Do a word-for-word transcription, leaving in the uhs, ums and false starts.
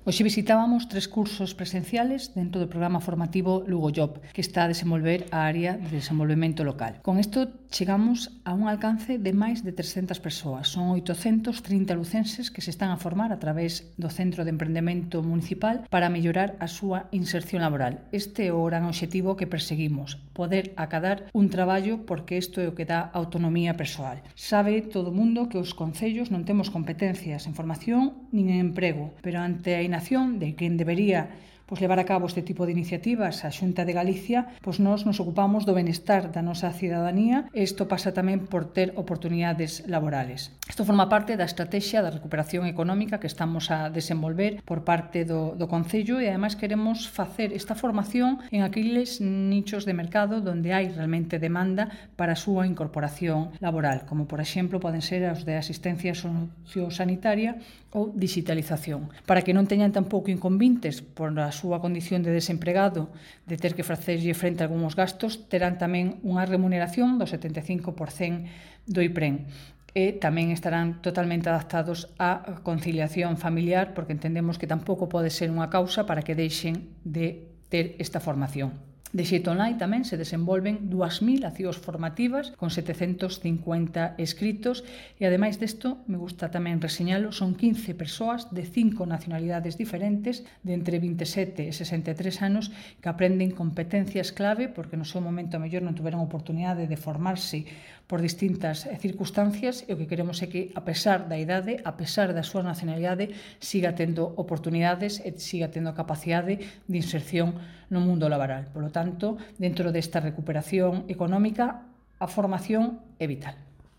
Hoxe visitábamos tres cursos presenciales dentro do programa formativo Lugo Job, que está a desenvolver a área de desenvolvemento local. Con isto chegamos a un alcance de máis de trescentas persoas. Son oitocentos trinta lucenses que se están a formar a través do Centro de Emprendemento Municipal para mellorar a súa inserción laboral. Este é o gran obxectivo que perseguimos, poder acadar un traballo porque isto é o que dá autonomía persoal. Sabe todo o mundo que os concellos non temos competencias en formación nin en emprego, pero ante a inacción de quen debería pois levar a cabo este tipo de iniciativas, a Xunta de Galicia, pois nós nos ocupamos do benestar da nosa cidadanía e isto pasa tamén por ter oportunidades laborales. Isto forma parte da estrategia da recuperación económica que estamos a desenvolver por parte do, do Concello e ademais queremos facer esta formación en aqueles nichos de mercado onde hai realmente demanda para a súa incorporación laboral, como por exemplo poden ser os de asistencia sociosanitaria ou digitalización, para que non teñan tampouco inconvintes por a súa condición de desempregado, de ter que facerlle frente a algúns gastos, terán tamén unha remuneración do setenta e cinco por cento do I P R E N e tamén estarán totalmente adaptados á conciliación familiar, porque entendemos que tampouco pode ser unha causa para que deixen de ter esta formación. De xeito online tamén se desenvolven dúas mil accións formativas con setecentos cincuenta escritos e ademais desto, me gusta tamén reseñalo, son quince persoas de cinco nacionalidades diferentes de entre vinte e sete e sesenta e tres anos que aprenden competencias clave porque no seu momento a mellor non tiveron oportunidade de formarse por distintas circunstancias e o que queremos é que a pesar da idade, a pesar da súa nacionalidade, siga tendo oportunidades e siga tendo capacidade de inserción no mundo laboral. Por lo tanto, dentro desta recuperación económica, a formación é vital.